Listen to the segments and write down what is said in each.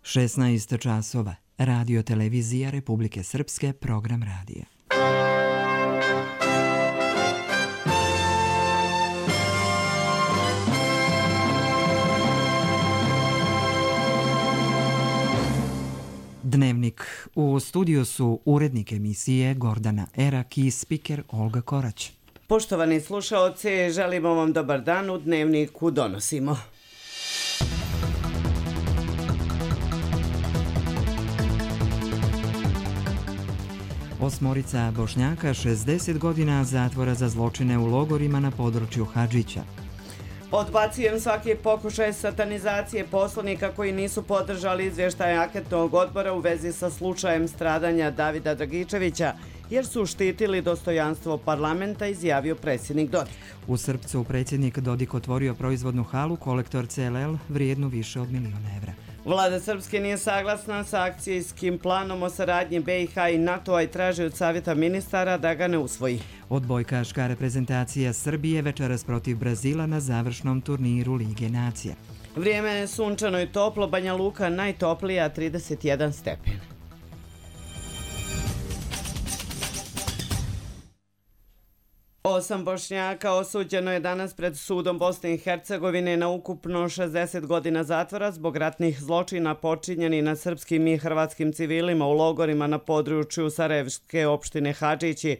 16 časova. Radio televizija Republike Srpske, program radija. Dnevnik. U studiju su urednik emisije Gordana Erak i spiker Olga Korać. Poštovani slušaoci, želimo vam dobar dan. U Dnevniku donosimo. Osmorica Bošnjaka 60 godina zatvora za zločine u logorima na području Hadžića. Odbacujem svaki pokušaj satanizacije poslanika koji nisu podržali izvještaj anketnog odbora u vezi sa slučajem stradanja Davida Dragičevića, jer su štitili dostojanstvo parlamenta, izjavio predsjednik Dodik. U Srpcu predsjednik Dodik otvorio proizvodnu halu Kolektor CLL vrijednu više od 1 milion evra. Vlada Srpske nije saglasna sa akcijskim planom o saradnji BiH i NATO-a i traži od Savjeta ministara da ga ne usvoji. Odbojkaška reprezentacija Srbije večeras protiv Brazila na završnom turniru Lige nacija. Vrijeme je sunčano i toplo, Banja Luka najtoplija 31 stepen. Osam Bošnjaka osuđeno je danas pred sudom Bosne i Hercegovine na ukupno 60 godina zatvora zbog ratnih zločina počinjeni na srpskim i hrvatskim civilima u logorima na području Sarajevske opštine Hadžići.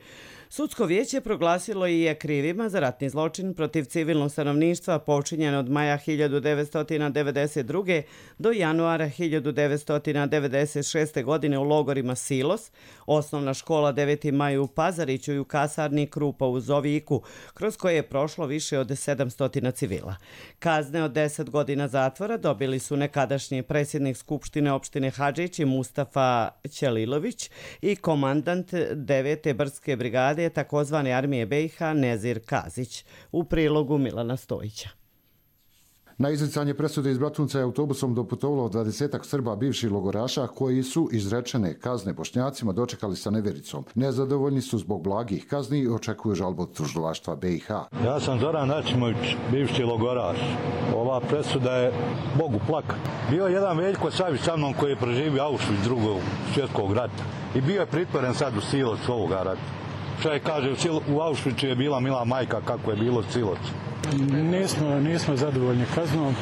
Sudsko vijeće proglasilo i je krivima za ratni zločin protiv civilnog stanovništva počinjen od maja 1992. do januara 1996. godine u logorima Silos, osnovna škola 9. maj u Pazariću i u kasarni Krupa u Zoviku, kroz koje je prošlo više od 700 civila. Kazne od 10 godina zatvora dobili su nekadašnji predsjednik Skupštine opštine Hadžići Mustafa Ćelilović i komandant 9. brdske brigade takozvane armije BiH Nezir Kazić. U prilogu Milana Stojića. Na izricanje presude iz Bratunca je autobusom doputovalo 20 Srba bivših logoraša koji su izrečene kazne Bošnjacima dočekali sa nevjericom. Nezadovoljni su zbog blagih kazni i očekuju žalbu od tužilaštva BiH. Ja sam Zoran Načimović, bivši logoraš. Ova presuda je Bogu plaka. Bio je jedan Veljko Savić sa mnom koji je preživio Auschwitz drugog svjetskog rata i bio je pritvoren sad u Siloc ovoga rata. Čovjek kaže, u Auschwitzu je bila mila majka, kako je bilo Siloc. Nismo zadovoljni kaznom,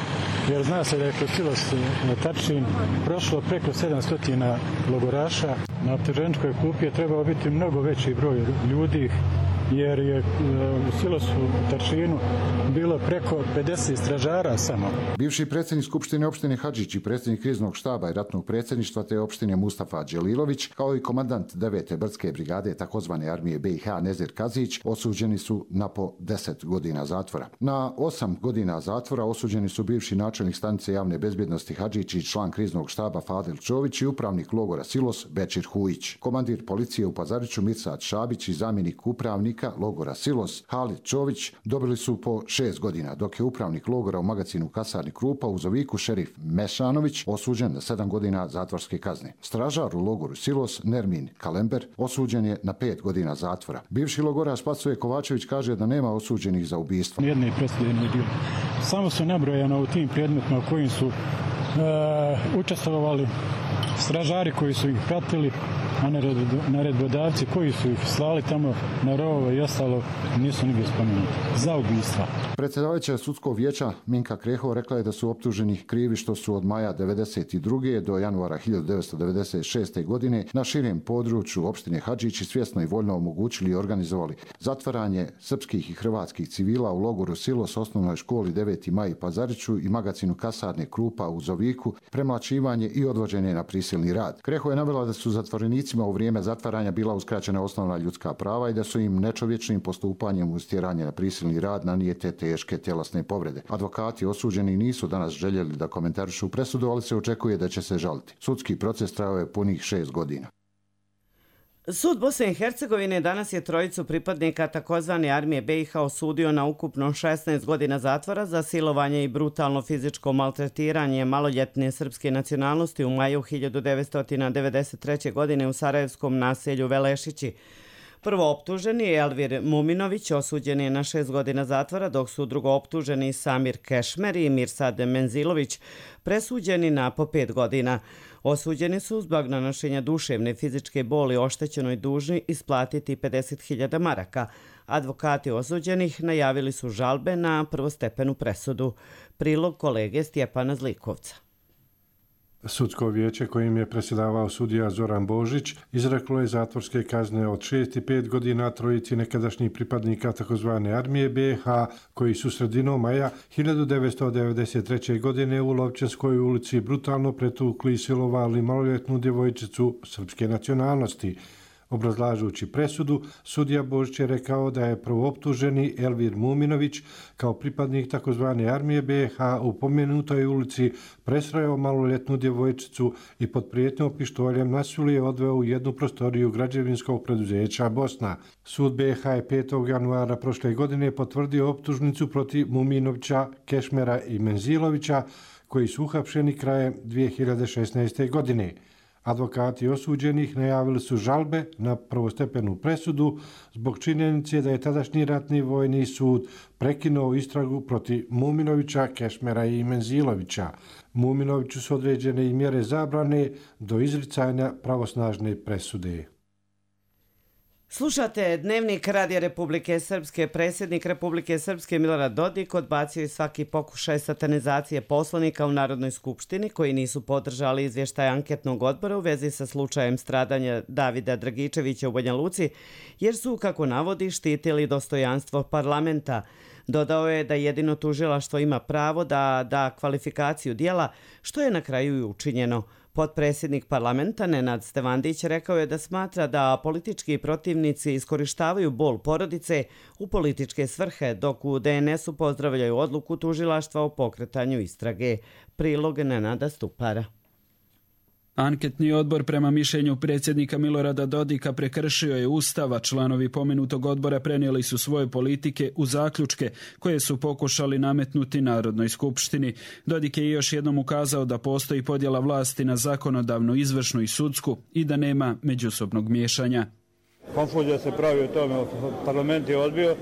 jer zna se da je kroz Siloc Tačin prošlo preko 700 logoraša. Na optuženičkoj klupi je trebao biti mnogo veći broj ljudi, jer je u Silosu Tačinu bilo preko 50 stražara samo. Bivši predsjednik Skupštine opštine Hadžić i predsjednik kriznog štaba i ratnog predsjedništva te opštine Mustafa Ćelilović, kao i komandant 9. brdske brigade takozvane armije BiH Nezir Kazić, osuđeni su na po 10 godina zatvora. Na 8 godina zatvora osuđeni su bivši načelnik stanice javne bezbjednosti Hadžić i član kriznog štaba Fadil Čović i upravnik logora Silos Bećir Hujić. Komandir policije u Pazariću Mirsad Šabić i zamjenik upravnika logora Silos Halid Čović dobili su po 6 godina, dok je upravnik logora u magazinu kasarni Krupa u Zoviku šerif Mešanović osuđen na 7 godina zatvorske kazne. Stražar u logoru Silos Nermin Kalember osuđen je na 5 godina zatvora. Bivši logoraš Spasoje Kovačević kaže da nema osuđenih za ubistvo. Jedne presude nije bilo. Samo su nabrojano u tim predmetima u kojim su učestvovali stražari koji su ih pratili, a naredbodavci koji su ih slali tamo na rovove i ostalo nisu nigdje spomenuti za ubistva. Predsjedavajuća sudskog vijeća Minka Kreho rekla je da su optuženi krivi što su od maja 1992. do januara 1996. godine na širem području opštine Hadžići svjesno i voljno omogućili i organizovali zatvaranje srpskih i hrvatskih civila u logoru Silos, osnovnoj školi 9. maj u Pazariću i magazinu kasarne Krupa u Zoviku, premlaćivanje i odvođenje na prisilni rad. Kreho je navela da su zatvorenicima u vrijeme zatvaranja bila uskraćena osnovna ljudska prava i da su im nečovječnim postupanjem uz tjeranje na prisilni rad nanijete teške tjelesne povrede. Advokati osuđeni nisu danas željeli da komentarišu presudu, ali se očekuje da će se žaliti. Sudski proces trajao je punih 6 godina. Sud Bosne i Hercegovine danas je trojicu pripadnika takozvane armije BiH osudio na ukupno 16 godina zatvora za silovanje i brutalno fizičko maltretiranje maloljetne srpske nacionalnosti u maju 1993. godine u sarajevskom naselju Velešići. Prvooptuženi Elvir Muminović osuđen je na 6 godina zatvora, dok su drugooptuženi Samir Kešmer i Mirsad Menzilović presuđeni na po 5 godina. Osuđeni su zbog nanošenja duševne i fizičke boli oštećenoj dužni isplatiti 50.000 maraka. Advokati osuđenih najavili su žalbe na prvostepenu presudu. Prilog kolege Stjepana Zlikovca. Sudsko vijeće kojim je predsjedavao sudija Zoran Božić izreklo je zatvorske kazne od 6 i 5 godina trojici nekadašnjih pripadnika tzv. Armije BiH koji su sredinom maja 1993. godine u Lovćenskoj ulici brutalno pretukli i silovali maloljetnu djevojčicu srpske nacionalnosti. Obrazlažući presudu, sudija Božić je rekao da je prvooptuženi Elvir Muminović kao pripadnik tzv. Armije BiH u pomenutoj ulici presreo maloljetnu djevojčicu i pod prijetnjom pištoljem nasilje odveo u jednu prostoriju građevinskog preduzeća Bosna. Sud BiH je 5. januara prošle godine potvrdio optužnicu protiv Muminovića, Kešmera i Menzilovića koji su uhapšeni krajem 2016. godine. Advokati osuđenih najavili su žalbe na prvostepenu presudu zbog činjenice da je tadašnji ratni vojni sud prekinuo istragu protiv Muminovića, Kešmera i Menzilovića. Muminoviću su određene i mjere zabrane do izricanja pravosnažne presude. Slušate Dnevnik Radija Republike Srpske. Predsjednik Republike Srpske Milorad Dodik odbacio je svaki pokušaj satanizacije poslanika u Narodnoj skupštini koji nisu podržali izvještaj anketnog odbora u vezi sa slučajem stradanja Davida Dragičevića u Banja Luci, jer su, kako navodi, štitili dostojanstvo parlamenta. Dodao je da jedino tužilaštvo ima pravo da da kvalifikaciju dijela, što je na kraju i učinjeno. Potpredsjednik parlamenta Nenad Stevandić rekao je da smatra da politički protivnici iskorištavaju bol porodice u političke svrhe, dok u DNS-u pozdravljaju odluku tužilaštva o pokretanju istrage. Prilog Nenada Stupara. Anketni odbor prema mišljenju predsjednika Milorada Dodika prekršio je Ustava. Članovi pomenutog odbora prenijeli su svoje politike u zaključke koje su pokušali nametnuti Narodnoj skupštini. Dodik je još jednom ukazao da postoji podjela vlasti na zakonodavnu, izvršnu i sudsku i da nema međusobnog miješanja. Konfuzija se pravi u tome, parlament je odbio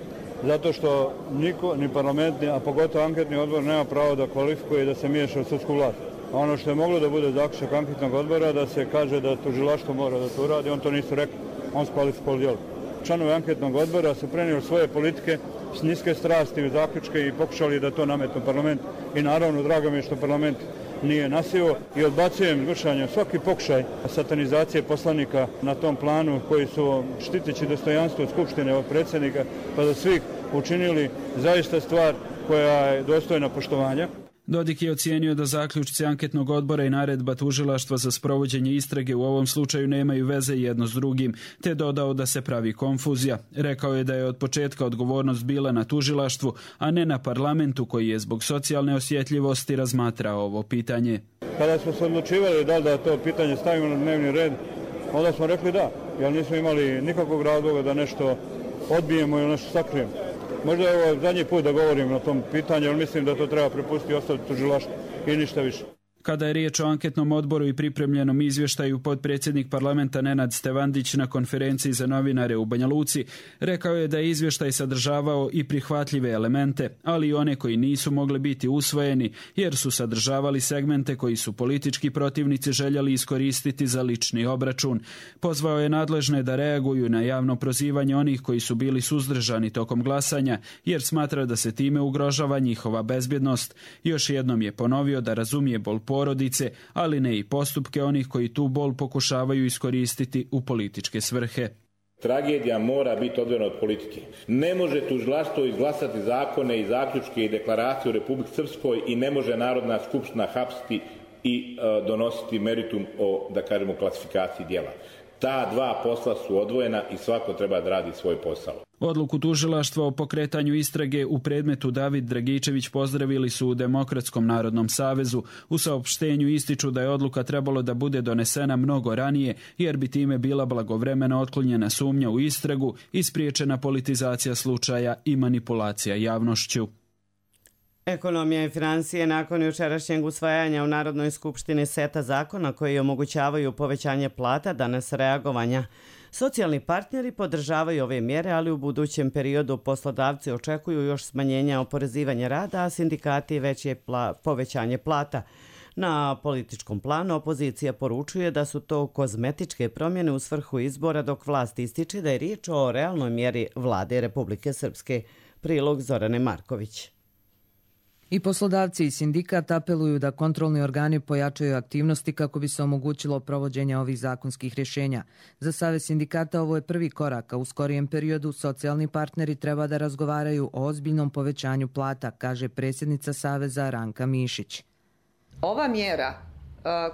zato što niko, ni parlament, a pogotovo anketni odbor nema pravo da kvalifikuje i da se miješa u sudsku vlast. Ono što je moglo da bude zaključak anketnog odbora da se kaže da tužilaštvo mora da to uradi, on to nisu rekli, on skvalifikovao djelo. Članovi anketnog odbora su prenijeli svoje politike s niske strasti u zaključke i pokušali da to nametnu parlament. I naravno, drago mi je što parlament nije nasio i odbacujem vršanje svaki pokušaj satanizacije poslanika na tom planu koji su štiteći dostojanstvo Skupštine ovog predsjednika pa da svih učinili zaista stvar koja je dostojna poštovanja. Dodik je ocijenio da zaključci anketnog odbora i naredba tužilaštva za sprovođenje istrage u ovom slučaju nemaju veze jedno s drugim, te dodao da se pravi konfuzija. Rekao je da je od početka odgovornost bila na tužilaštvu, a ne na parlamentu koji je zbog socijalne osjetljivosti razmatrao ovo pitanje. Kada smo se odlučivali da li da to pitanje stavimo na dnevni red, onda smo rekli da, jer nismo imali nikakvog razloga da nešto odbijemo ili nešto sakrijemo. Možda je ovo zadnji put da govorim na tom pitanju, ali mislim da to treba prepustiti i ostaviti tužilaštvu i ništa više. Kada je riječ o anketnom odboru i pripremljenom izvještaju, potpredsjednik parlamenta Nenad Stevandić na konferenciji za novinare u Banja Luci rekao je da je izvještaj sadržavao i prihvatljive elemente, ali i one koji nisu mogli biti usvojeni jer su sadržavali segmente koji su politički protivnici željeli iskoristiti za lični obračun. Pozvao je nadležne da reaguju na javno prozivanje onih koji su bili suzdržani tokom glasanja jer smatra da se time ugrožava njihova bezbjednost. Još jednom je ponovio da razumije bol porodice, ali ne i postupke onih koji tu bol pokušavaju iskoristiti u političke svrhe. Tragedija mora biti odvojena od politike. Ne može tužilaštvo izglasati zakone i zaključke i deklaracije u Republici Srpskoj i ne može Narodna skupština hapsiti i donositi meritum o, da kažemo, klasifikaciji djela. Ta dva posla su odvojena i svako treba da radi svoj posao. Odluku tužilaštva o pokretanju istrage u predmetu David Dragičević pozdravili su u Demokratskom narodnom savezu. U saopštenju ističu da je odluka trebalo da bude donesena mnogo ranije, jer bi time bila blagovremeno otklonjena sumnja u istragu i spriječena politizacija slučaja i manipulacija javnošću. Ekonomija i financije nakon jučerašnjeg usvajanja u Narodnoj skupštini seta zakona koji omogućavaju povećanje plata danas reagovanja. Socijalni partneri podržavaju ove mjere, ali u budućem periodu poslodavci očekuju još smanjenja oporezivanja rada, a sindikati veće povećanje plata. Na političkom planu opozicija poručuje da su to kozmetičke promjene u svrhu izbora, dok vlast ističe da je riječ o realnoj mjeri vlade Republike Srpske. Prilog Zorane Marković. I poslodavci i sindikat apeluju da kontrolni organi pojačaju aktivnosti kako bi se omogućilo provođenje ovih zakonskih rješenja. Za Savez sindikata ovo je prvi korak, a u skorijem periodu socijalni partneri treba da razgovaraju o ozbiljnom povećanju plata, kaže predsjednica Saveza Ranka Mišić. Ova mjera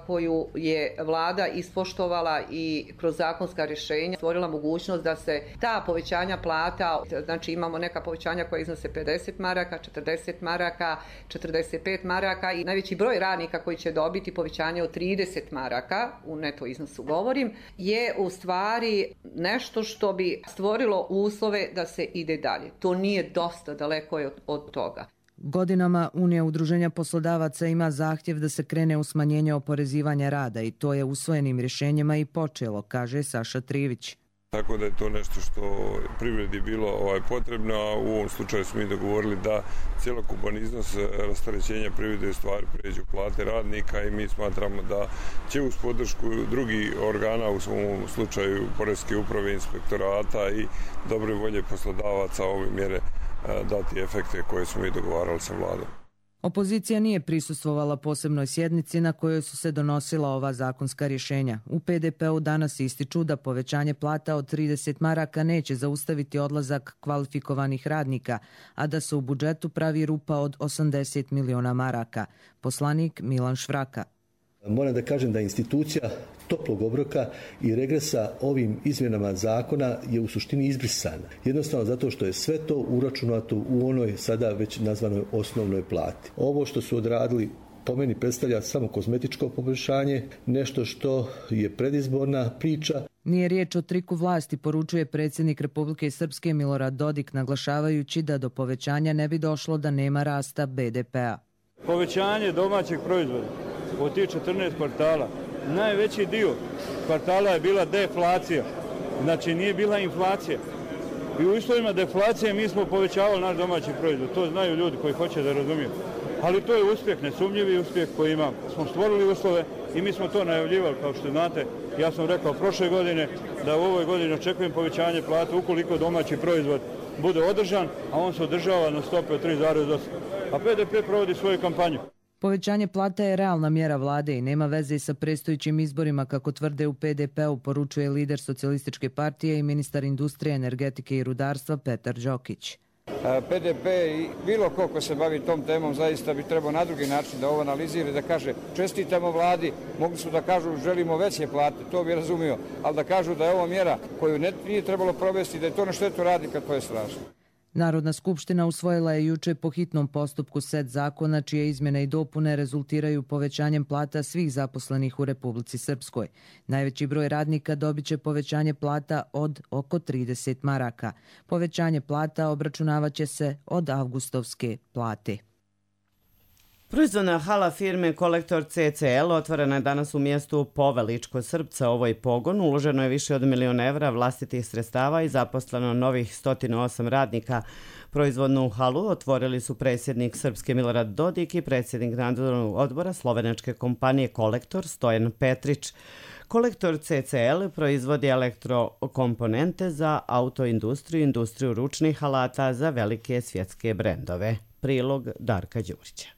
koju je vlada ispoštovala i kroz zakonska rješenja stvorila mogućnost da se ta povećanja plata, znači imamo neka povećanja koja iznose 50 maraka, 40 maraka, 45 maraka i najveći broj radnika koji će dobiti povećanje od 30 maraka, u neto iznosu govorim, je u stvari nešto što bi stvorilo uslove da se ide dalje. To nije dosta, daleko je od toga. Godinama Unija udruženja poslodavaca ima zahtjev da se krene u smanjenje oporezivanja rada i to je usvojenim rješenjima i počelo, kaže Saša Trivić. Tako da je to nešto što privredi bilo potrebno, a u ovom slučaju smo i dogovorili da cjelokupan iznos rasterećenja privrede u stvari pređu plate radnika i mi smatramo da će uz podršku drugih organa, u svom slučaju Poreske uprave, inspektorata i dobre volje poslodavaca ove mjere dati efekte koje smo i dogovarali sa vladom. Opozicija nije prisustvovala posebnoj sjednici na kojoj su se donosila ova zakonska rješenja. U PDP-u danas ističu da povećanje plata od 30 maraka neće zaustaviti odlazak kvalifikovanih radnika, a da se u budžetu pravi rupa od 80 miliona maraka. Poslanik Milan Švraka. Moram da kažem da institucija toplog obroka i regresa ovim izmjenama zakona je u suštini izbrisana. Jednostavno zato što je sve to uračunato u onoj sada već nazvanoj osnovnoj plati. Ovo što su odradili po meni predstavlja samo kozmetičko poboljšanje, nešto što je predizborna priča. Nije riječ o triku vlasti, poručuje predsjednik Republike Srpske Milorad Dodik, naglašavajući da do povećanja ne bi došlo da nema rasta BDP-a. Povećanje domaćeg proizvoda od tih 14 kvartala, najveći dio kvartala je bila deflacija, znači nije bila inflacija. I u uslovima deflacije mi smo povećavali naš domaći proizvod, to znaju ljudi koji hoće da razumiju. Ali to je uspjeh, nesumnjivi uspjeh koji imamo. Smo stvorili uslove i mi smo to najavljivali, kao što znate. Ja sam rekao prošle godine da u ovoj godini očekujem povećanje plata ukoliko domaći proizvod bude održan, a on se održava na stope od 3,8. A PDP provodi svoju kampanju. Povećanje plata je realna mjera vlade i nema veze sa predstojećim izborima, kako tvrde u PDP-u, poručuje lider Socijalističke partije i ministar industrije, energetike i rudarstva Petar Đokić. PDP i bilo ko se bavi tom temom zaista bi trebao na drugi način da ovo analizira i da kaže čestitamo vladi, mogli su da kažu želimo veće plate, to bi razumio, ali da kažu da je ovo mjera koju nije trebalo provesti, da je to na štetu radnika, to je strašno. Narodna skupština usvojila je juče po hitnom postupku set zakona čije izmjene i dopune rezultiraju povećanjem plata svih zaposlenih u Republici Srpskoj. Najveći broj radnika dobit će povećanje plata od oko 30 maraka. Povećanje plata obračunavaće se od avgustovske plate. Proizvodna hala firme Kolektor CCL otvorena je danas u mjestu Poveličko Srpca. Ovoj pogon uloženo je više od 1 milion evra vlastitih sredstava i zaposleno novih 108 radnika. Proizvodnu halu otvorili su predsjednik Srpske Milorad Dodik i predsjednik nadzornog odbora slovenačke kompanije Kolektor Stojan Petrić. Kolektor CCL proizvodi elektrokomponente za autoindustriju i industriju ručnih alata za velike svjetske brendove. Prilog Darka Đurića.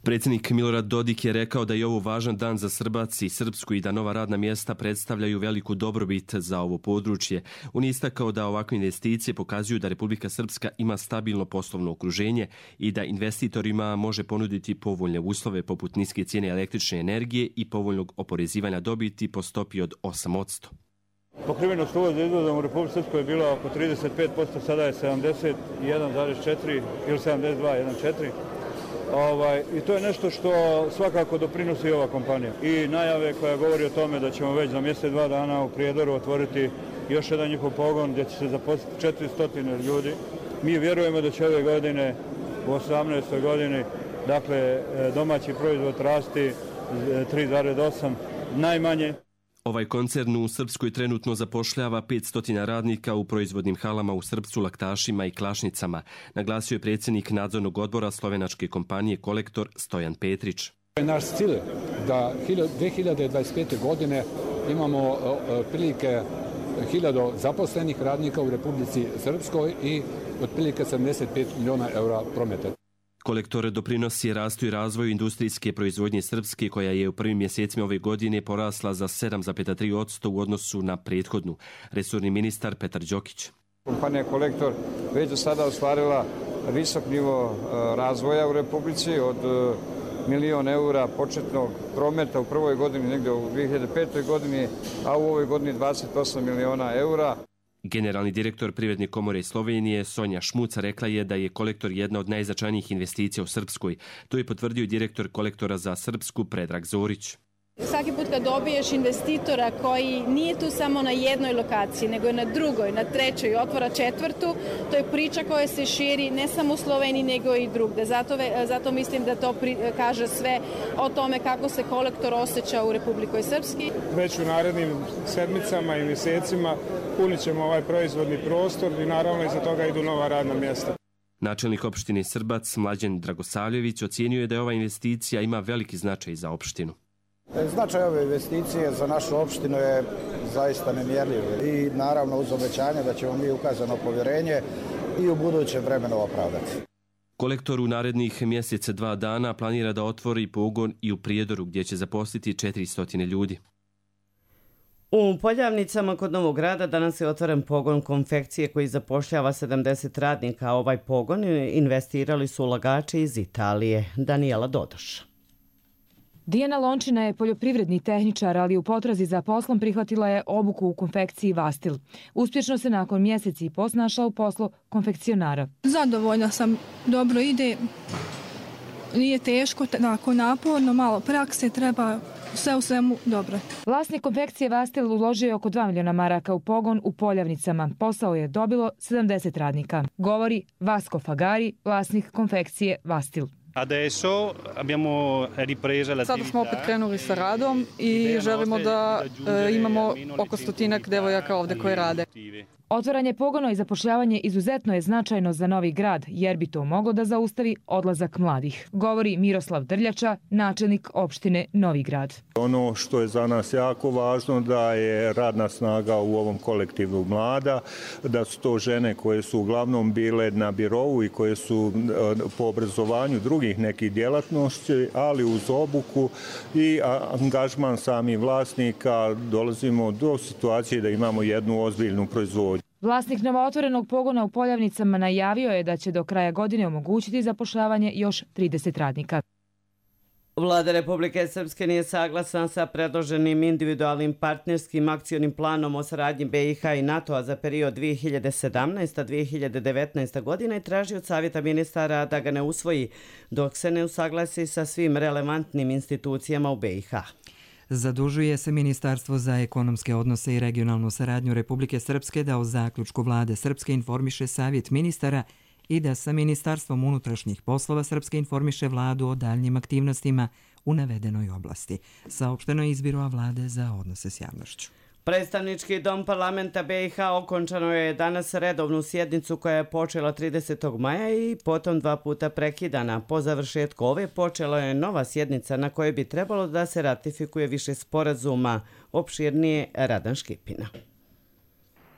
Predsjednik Milorad Dodik je rekao da je ovo važan dan za Srbac i Srpsku i da nova radna mjesta predstavljaju veliku dobrobit za ovo područje. On je istakao da ovakve investicije pokazuju da Republika Srpska ima stabilno poslovno okruženje i da investitorima može ponuditi povoljne uslove poput niske cijene električne energije i povoljnog oporezivanja dobiti po stopi od 8%. Pokrivenost uvoza izvozom u Republici Srpskoj je bila oko 35%, sada je 71,4 ili 72,14%. I to je nešto što svakako doprinosi ova kompanija. I najave koja govori o tome da ćemo već za mjesec 2 dana u Prijedoru otvoriti još jedan njihov pogon gdje će se zaposliti 400 ljudi. Mi vjerujemo da će ove godine, u 18. godini, dakle, domaći proizvod rasti 3,8 najmanje. Ovaj koncern u Srpskoj trenutno zapošljava 500 radnika u proizvodnim halama u Srpcu, Laktašima i Klašnicama, naglasio je predsjednik nadzornog odbora slovenačke kompanije Kolektor Stojan Petrić. Naš cilj da 2025. godine imamo otprilike 1000 zaposlenih radnika u Republici Srpskoj i otprilike 75 milijuna eura prometa. Kolektor doprinosi rastu i razvoju industrijske proizvodnje Srpske, koja je u prvim mjesecima ove godine porasla za 7,3% u odnosu na prethodnu. Resorni ministar Petar Đokić. Kompanija Kolektor već do sada ostvarila visok nivo razvoja u Republici od 1 milion eura početnog prometa u prvoj godini, negdje u 2005. godini, a u ovoj godini 28 miliona eura. Generalni direktor Privredne komore Slovenije Sonja Šmuca rekla je da je Kolektor jedna od najznačajnijih investicija u Srpskoj. To je potvrdio direktor Kolektora za Srpsku Predrag Zorić. Svaki put kad dobiješ investitora koji nije tu samo na jednoj lokaciji, nego je na drugoj, na trećoj, otvara četvrtu, to je priča koja se širi ne samo u Sloveniji, nego i drugde. Zato mislim da to kaže sve o tome kako se Kolektor osjeća u Republikoj Srpski. Već u narednim sedmicama i mjesecima punit ćemo ovaj proizvodni prostor i naravno iza toga idu nova radna mjesta. Načelnik opštine Srbac Mlađan Dragosavljević ocijenio je da ova investicija ima veliki značaj za opštinu. Značaj ove investicije za našu opštinu je zaista nemjerljiv i naravno uz obećanje da ćemo mi ukazano povjerenje i u budućem vremenu opravdati. Kolektor u narednih mjesec 2 dana planira da otvori pogon i u Prijedoru, gdje će zaposliti 400 ljudi. U Poljavnicama kod Novog Grada danas je otvoren pogon konfekcije koji zapošljava 70 radnika. Ovaj pogon investirali su ulagači iz Italije. Danijela Dodoš. Dijana Lončina je poljoprivredni tehničar, ali u potrazi za poslom prihvatila je obuku u konfekciji Vastil. Uspješno se nakon mjeseci i po snašla u poslu konfekcionara. Zadovoljna sam, dobro ide, nije teško, tako naporno, malo prakse, treba sve u svemu dobro. Vlasnik konfekcije Vastil uložio je oko 2 miliona maraka u pogon u Poljavnicama. Posao je dobilo 70 radnika. Govori Vasko Fagari, vlasnik konfekcije Vastil. Sada smo opet krenuli sa radom i želimo da imamo oko 100 devojaka ovdje koje rade. Otvaranje pogona i zapošljavanje izuzetno je značajno za Novi Grad, jer bi to moglo da zaustavi odlazak mladih, govori Miroslav Drljača, načelnik opštine Novi Grad. Ono što je za nas jako važno da je radna snaga u ovom kolektivu mlada, da su to žene koje su uglavnom bile na birovu i koje su po obrazovanju drugih nekih djelatnosti, ali uz obuku i angažman samih vlasnika dolazimo do situacije da imamo jednu ozbiljnu proizvodnju. Vlasnik novootvorenog pogona u Poljavnicama najavio je da će do kraja godine omogućiti zapošljavanje još 30 radnika. Vlada Republike Srpske nije saglasna sa predloženim individualnim partnerskim akcionim planom o saradnji BiH i NATO-a za period 2017-2019 godina i traži od Savjeta ministara da ga ne usvoji dok se ne usaglasi sa svim relevantnim institucijama u BiH. Zadužuje se Ministarstvo za ekonomske odnose i regionalnu saradnju Republike Srpske da o zaključku Vlade Srpske informiše Savjet ministara i da sa Ministarstvom unutrašnjih poslova Srpske informiše vladu o daljnjim aktivnostima u navedenoj oblasti. Saopšteno je iz Biroa vlade za odnose s javnošću. Predstavnički dom parlamenta BiH okončano je danas redovnu sjednicu koja je počela 30. maja i potom 2 puta prekidana. Po završetku ove počela je nova sjednica na kojoj bi trebalo da se ratifikuje više sporazuma, opširnije Radan Škipina.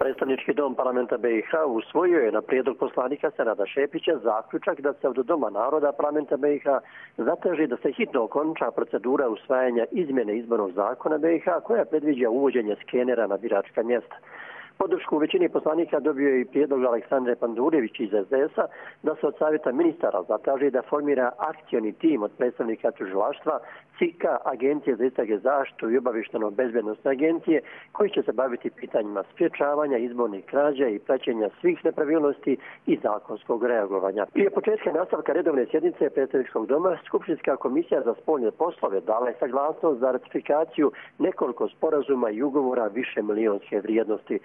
Predstavnički dom parlamenta BiH usvojio je na prijedlog poslanika Senada Šepića zaključak da se od Doma naroda parlamenta BiH zatraži da se hitno okonča procedura usvajanja izmjene izbornog zakona BiH koja predviđa uvođenje skenera na biračka mjesta. Podršku u većini poslanika dobio je i prijedlog Aleksandre Pandurević iz SDS-a da se od Savjeta ministara zatraži da formira akcioni tim od predstavnika tužilaštva, CIK-a, Agencije za istrage zaštitu i obavještajno-bezbednosne agencije koji će se baviti pitanjima sprječavanja izbornih krađa i praćenja svih nepravilnosti i zakonskog reagovanja. Prije početka nastavka redovne sjednice predstavničkog doma, Skupštinska komisija za spoljne poslove dala je saglasnost za ratifikaciju nekoliko sporazuma i ugovora više milionske vrijednosti.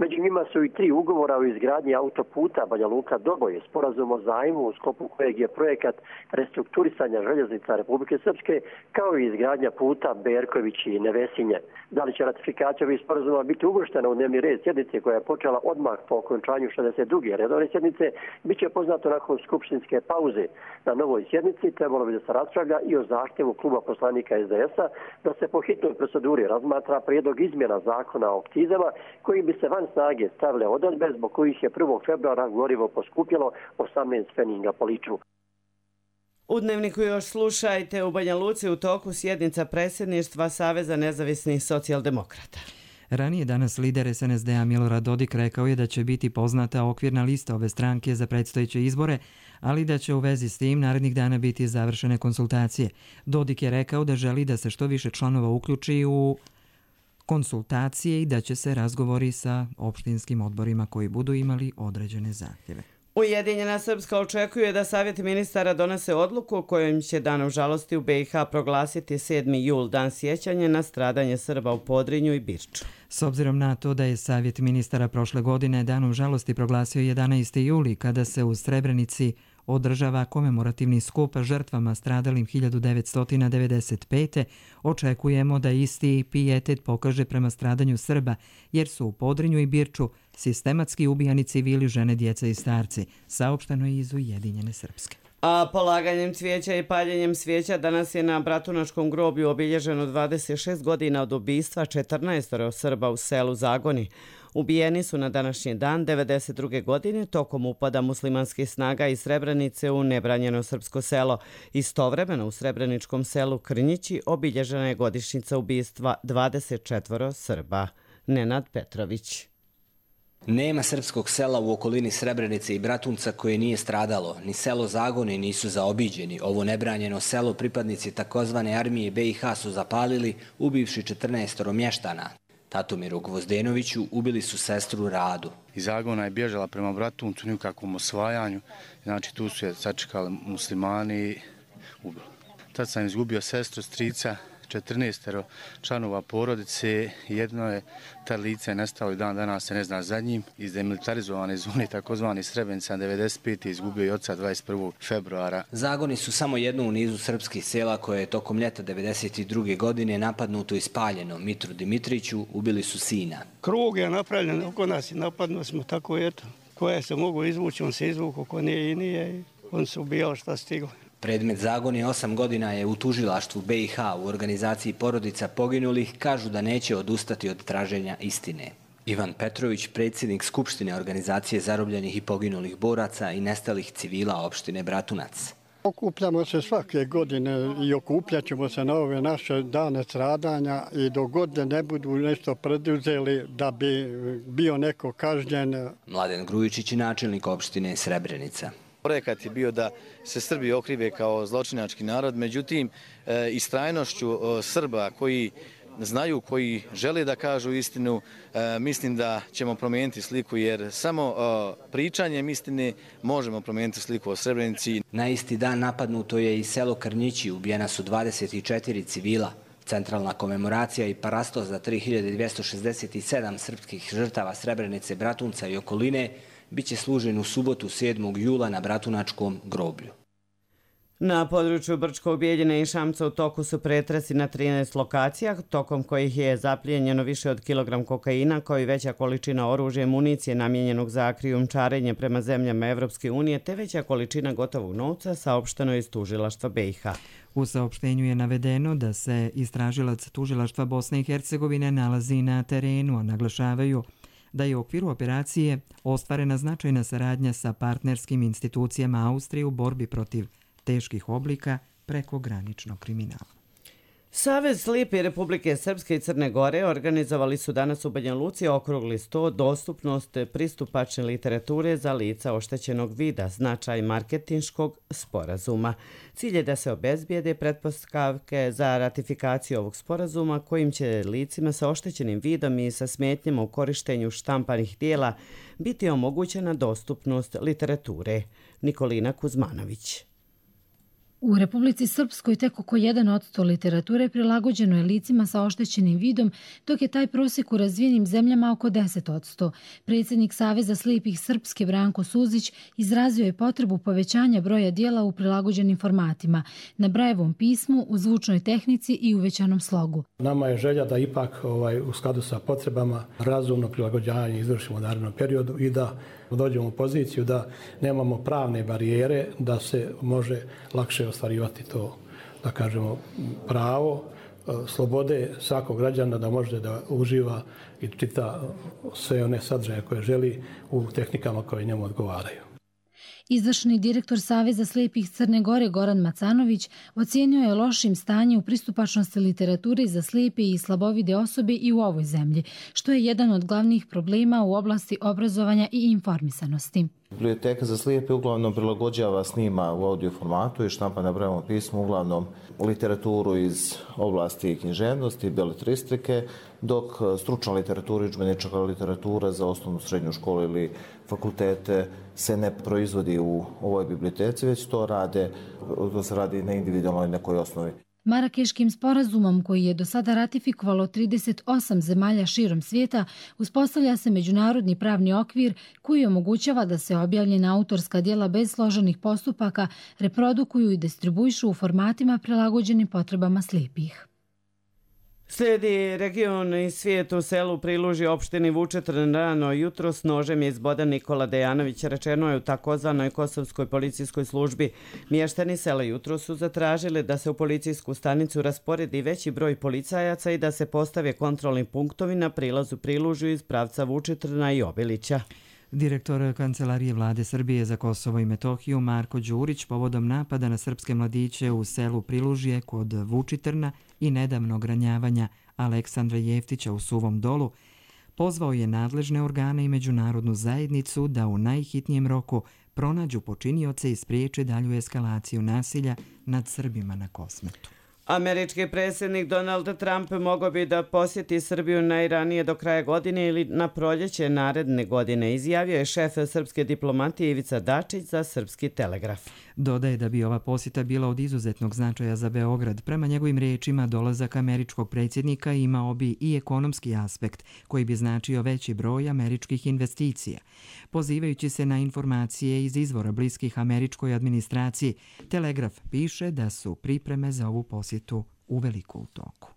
Među njima su i 3 ugovora o izgradnji autoputa Banja Luka-Doboj, sporazum o zajmu u sklopu kojeg je projekat restrukturisanja željeznica Republike Srpske, kao i izgradnja puta Berković i Nevesinje. Da li će ratifikacija ovih sporazuma biti uvrštena u dnevni red sjednice koja je počela odmah po okončanju 62. redovne sjednice, bit će poznato nakon skupštinske pauze. Na novoj sjednici trebalo bi da se raspravlja i o zahtjevu kluba poslanika SDS-a da se po hitnoj proceduri razmatra prijedlog izmjena zakona o akcizama koji bi se van snage stavile odredbe zbog kojih je 1. februara gorivo poskupjelo 18 pfenninga po litru. U Dnevniku još slušajte, u Banja Luci u toku sjednica predsjedništva Saveza nezavisnih socijaldemokrata. Ranije danas lider SNSD-a Milorad Dodik rekao je da će biti poznata okvirna lista ove stranke za predstojeće izbore, ali da će u vezi s tim narednih dana biti završene konsultacije. Dodik je rekao da želi da se što više članova uključi u konsultacije i da će se razgovori sa opštinskim odborima koji budu imali određene zahtjeve. Ujedinjena Srpska očekuje da Savjet ministara donese odluku kojom će danom žalosti u BiH proglasiti 7. jul, dan sjećanja na stradanje Srba u Podrinju i Birču. S obzirom na to da je Savjet ministara prošle godine danom žalosti proglasio 11. juli, kada se u Srebrenici održava komemorativni skup žrtvama stradalim 1995. Očekujemo da isti pijetet pokaže prema stradanju Srba, jer su u Podrinju i Birču sistematski ubijani civili, žene, djeca i starci, saopšteno je iz Ujedinjene Srpske. A polaganjem cvijeća i paljenjem svijeća danas je na Bratunačkom groblju obilježeno 26 godina od ubistva 14 Srba u selu Zagoni. Ubijeni su na današnji dan 92. godine tokom upada muslimanskih snaga iz Srebrenice u nebranjeno srpsko selo. Istovremeno u srebreničkom selu Krnjići obilježena je godišnjica ubistva 24 Srba. Nenad Petrović. Nema srpskog sela u okolini Srebrenice i Bratunca koje nije stradalo. Ni selo Zagoni nisu zaobiđeni. Ovo nebranjeno selo pripadnici takozvane armije BiH su zapalili, ubivši 14 mještana. Tatomiru Gvozdenoviću ubili su sestru Radu. Iz Zagona je bježala prema Bratuncu, nikakvom osvajanju. Znači tu su je sačekali muslimani i ubili. Tad sam izgubio sestru, strica, 14 članova porodice. Jedno je ta lice nestalo i dan danas se ne zna za njim. Iz demilitarizovane zone, takozvani Srebrenica 95. izgubio i oca 21. februara. Zagoni su samo jedno u nizu srpskih sela koje je tokom ljeta 92. godine napadnuto i spaljeno. Mitru Dimitriću ubili su sina. Krug je napravljen oko nas i napadno smo tako eto. Koje se mogu izvući, on se izvuku, ko nije i nije. On se ubijao šta stiglo. Predmet Zagoni 8 godina je u tužilaštvu BiH u organizaciji porodica poginulih, kažu da neće odustati od traženja istine. Ivan Petrović, predsjednik Skupštine organizacije zarobljenih i poginulih boraca i nestalih civila opštine Bratunac. Okupljamo se svake godine i okupljat ćemo se na ove naše dane stradanja i dok god ne budu nešto preduzeli da bi bio neko kažnjen. Mladen Grujičić je načelnik opštine Srebrenica. Projekat je bio da se Srbi okrive kao zločinački narod, međutim, istrajnošću Srba koji znaju, koji žele da kažu istinu, mislim da ćemo promijeniti sliku, jer samo pričanjem istine možemo promijeniti sliku o Srebrenici. Na isti dan napadnuto je i selo Krnjići, ubijena su 24 civila. Centralna komemoracija i parasto za 3267 srpskih žrtava Srebrenice, Bratunca i okoline biće služen u subotu 7. jula na Bratunačkom groblju. Na području Brčkog, Bijeljine i Šamca u toku su pretresi na 13 lokacija, tokom kojih je zaplijenjeno više od kilogram kokaina, kao i veća količina oružja i municije namijenjenog za krijumčarenje prema zemljama Evropske unije, te veća količina gotovog novca, saopšteno iz tužilaštva BiH. U saopštenju je navedeno da se istražilac tužilaštva Bosne i Hercegovine nalazi na terenu, a naglašavaju da je u okviru operacije ostvarena značajna saradnja sa partnerskim institucijama Austrije u borbi protiv teških oblika prekograničnog kriminala. Savez slijepih Republike Srpske i Crne Gore organizovali su danas u Banja Luci okrugli sto dostupnost pristupačne literature za lica oštećenog vida, značaj marketinškog sporazuma. Cilj je da se obezbijede pretpostavke za ratifikaciju ovog sporazuma kojim će licima sa oštećenim vidom i sa smetnjama u korištenju štampanih dijela biti omogućena dostupnost literature. Nikolina Kuzmanović. U Republici Srpskoj tek oko 1% literature prilagođeno je licima sa oštećenim vidom, dok je taj prosjek u razvijenim zemljama oko 10%. Predsjednik Saveza slijepih Srpske Branko Suzić izrazio je potrebu povećanja broja dijela u prilagođenim formatima, na Brajevom pismu, u zvučnoj tehnici i uvećanom slogu. Nama je želja da ipak u skladu sa potrebama razumno prilagođavanje izvršimo u narednom periodu i da dođemo u poziciju da nemamo pravne barijere, da se može lakše ostvarivati to, da kažemo, pravo, slobode svakog građana da može da uživa i čita sve one sadržaje koje želi u tehnikama koje njemu odgovaraju. Izvršni direktor Saveza slijepih Crne Gore Goran Macanović ocijenio je lošim stanje u pristupačnosti literature za slijepe i slabovide osobe i u ovoj zemlji, što je jedan od glavnih problema u oblasti obrazovanja i informisanosti. Biblioteka za slijepe uglavnom prilagođava, snima u audio formatu i štampa na Brajevom pismu uglavnom literaturu iz oblasti književnosti, beletristike, dok stručna literatura i udžbenička literatura za osnovnu, srednju školu ili fakultete se ne proizvodi u ovoj biblioteci, već to se radi na individualnoj nekoj osnovi. Marakeškim sporazumom, koji je do sada ratifikovalo 38 zemalja širom svijeta, uspostavlja se međunarodni pravni okvir koji omogućava da se objavljena autorska djela bez složenih postupaka reprodukuju i distribuišu u formatima prilagođenim potrebama slijepih. Slijedi region i svijet u selu Prilužje opštini Vučitrn. Rano jutros nožem je izbodan Nikola Dejanović, rečeno je u takozvanoj kosovskoj policijskoj službi. Mještani sela jutros su zatražili da se u policijsku stanicu rasporedi veći broj policajaca i da se postave kontrolni punktovi na prilazu Prilužju iz pravca Vučitrna i Obilića. Direktor Kancelarije Vlade Srbije za Kosovo i Metohiju Marko Đurić povodom napada na srpske mladiće u selu Prilužje kod Vučitrna i nedavnog ranjavanja Aleksandra Jeftića u Suvom Dolu pozvao je nadležne organe i međunarodnu zajednicu da u najhitnijem roku pronađu počinioce i spriječe dalju eskalaciju nasilja nad Srbima na Kosmetu. Američki predsjednik Donald Trump mogao bi da posjeti Srbiju najranije do kraja godine ili na proljeće naredne godine, izjavio je šef srpske diplomatije Ivica Dačić za Srpski telegraf. Dodaje da bi ova posjeta bila od izuzetnog značaja za Beograd. Prema njegovim riječima, dolazak američkog predsjednika imao bi i ekonomski aspekt, koji bi značio veći broj američkih investicija. Pozivajući se na informacije iz izvora bliskih američkoj administraciji, Telegraf piše da su pripreme za ovu posjetu uveliko u toku.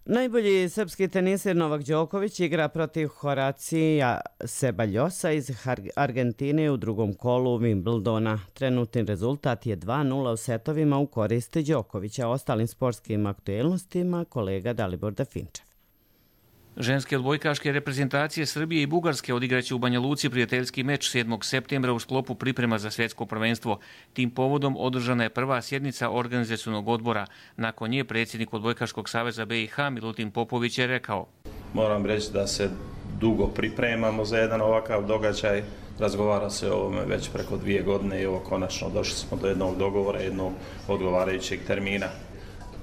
Najbolji srpski teniser Novak Đoković igra protiv Horacija Sebaljosa iz Argentine u drugom kolu Wimbledona. Trenutni rezultat je 2:0 u setovima u korist Đokovića. Ostalim sportskim aktuelnostima kolega Dalibor Dafinčev. Ženske odbojkaške reprezentacije Srbije i Bugarske odigraće u Banja Luci prijateljski meč 7. septembra u sklopu priprema za svjetsko prvenstvo. Tim povodom održana je prva sjednica organizacionog odbora. Nakon nje predsjednik Odbojkaškog saveza BiH Milutin Popović je rekao: Moram reći da se dugo pripremamo za jedan ovakav događaj. Razgovara se o ovome već preko 2 godine i ovo konačno došli smo do jednog dogovora, jednog odgovarajućeg termina.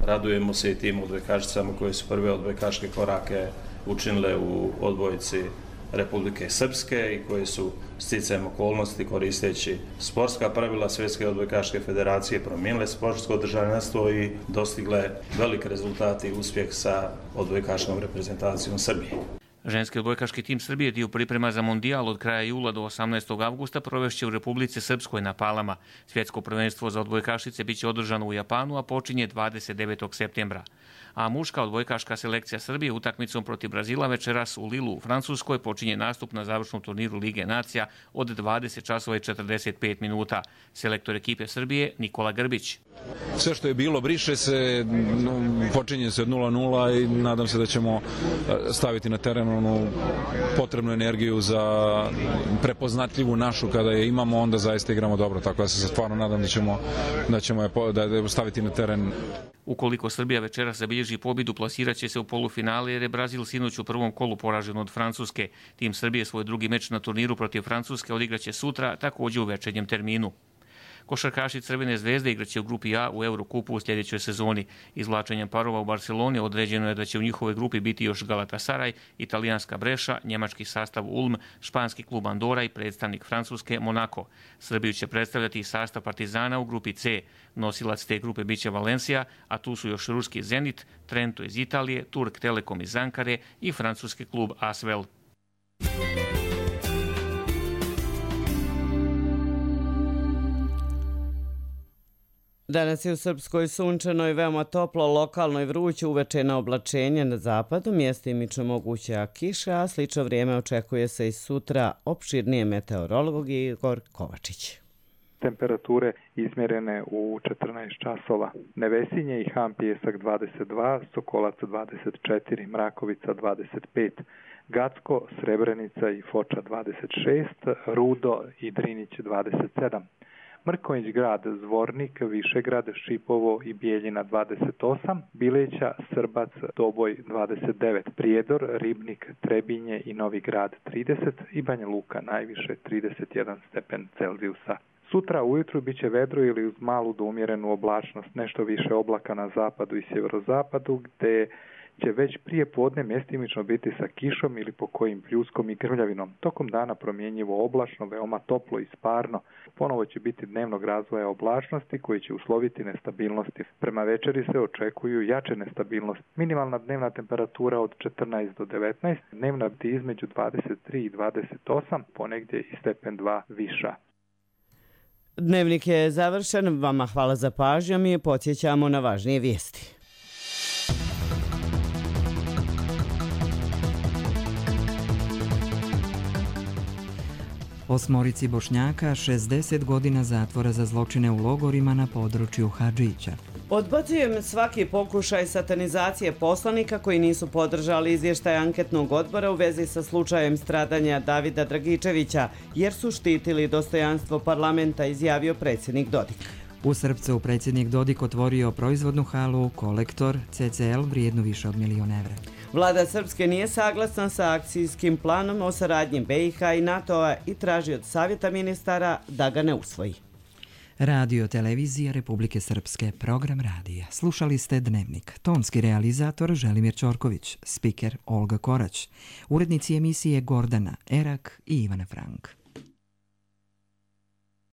Radujemo se i tim odbojkašicama koje su prve odbojkaške korake učinile u odbojci Republike Srpske i koje su sticajem okolnosti koristeći sportska pravila Svjetske odbojkaške federacije promijenile sportsko državljanstvo i dostigle velike rezultate i uspjeh sa odbojkaškom reprezentacijom Srbije. Ženski odbojkaški tim Srbije dio priprema za mondijal od kraja jula do 18. avgusta provešće u Republici Srpskoj na Palama. Svjetsko prvenstvo za odbojkašice biće održano u Japanu, a počinje 29. septembra. A muška odbojkaška selekcija Srbije utakmicom protiv Brazila večeras u Lilu u Francuskoj počinje nastup na završnom turniru Lige nacija od 20:45 minuta. Selektor ekipe Srbije Nikola Grbić. Sve što je bilo briše se, počinje se od 0:0 i nadam se da ćemo staviti na teren onu potrebnu energiju za prepoznatljivu našu. Kada je imamo, onda zaista igramo dobro, tako da se stvarno nadam da ćemo je staviti na teren. Ukoliko Srbija večeras zabilježi pobjedu, plasiraće se u polufinale jer je Brazil sinoć u prvom kolu poražen od Francuske. Tim Srbije svoj drugi meč na turniru protiv Francuske odigraće sutra, također u večernjem terminu. Košarkaši Crvene zvezde igraće u grupi A u Eurokupu u sljedećoj sezoni. Izvlačenjem parova u Barceloni određeno je da će u njihovoj grupi biti još Galatasaray, italijanska Breša, njemački sastav Ulm, španski klub Andora i predstavnik Francuske Monaco. Srbiju će predstavljati i sastav Partizana u grupi C. Nosilac te grupe biće Valencia, a tu su još ruski Zenit, Trento iz Italije, Turk Telekom iz Ankare i francuski klub Asvel. Danas je u Srpskoj sunčano i veoma toplo, lokalno i vruće, uveče na oblačenje na zapadu, mjestimično moguća kiša, a slično vrijeme očekuje se i sutra. Opširnije meteorolog Igor Kovačić. Temperature izmjerene u 14 časova. Nevesinje i Ham Pijesak 22, Sokolac 24, Mrakovica 25, Gacko, Srebrenica i Foča 26, Rudo i Drinić 27. Mrkonjić grad, Zvornik, Višegrad, Šipovo i Bijeljina 28, Bileća, Srbac, Doboj 29, Prijedor, Ribnik, Trebinje i Novi Grad 30 i Banja Luka najviše 31 stepen Celzijusa. Sutra ujutru bit će vedro ili uz malu do umjerenu oblačnost, nešto više oblaka na zapadu i sjeverozapadu, gdje će već prije podne mjestimično biti sa kišom ili po kojim pljuskom i grmljavinom. Tokom dana promjenjivo oblačno, veoma toplo i sparno. Ponovo će biti dnevnog razvoja oblačnosti koji će usloviti nestabilnosti. Prema večeri se očekuju jače nestabilnosti. Minimalna dnevna temperatura od 14 do 19, dnevna biti između 23 i 28, ponegdje i stepen 2 viša. Dnevnik je završen. Vama hvala za pažnju. Mi podsjećamo na važnije vijesti. Osmorici Bošnjaka 60 godina zatvora za zločine u logorima na području Hadžića. Odbacujem svaki pokušaj satanizacije poslanika koji nisu podržali izvještaj anketnog odbora u vezi sa slučajem stradanja Davida Dragičevića, jer su štitili dostojanstvo parlamenta, izjavio predsjednik Dodik. U Srpcu predsjednik Dodik otvorio proizvodnu halu Kolektor CCL vrijednu više od 1 milion evra. Vlada Srpske nije saglasna sa akcijskim planom o saradnji BiH i NATO-a i traži od Savjeta ministara da ga ne usvoji. Radio Televizija Republike Srpske, program radija. Slušali ste Dnevnik. Tonski realizator Želimir Ćorković, spiker Olga Korać, urednici emisije Gordana Erak i Ivana Frank.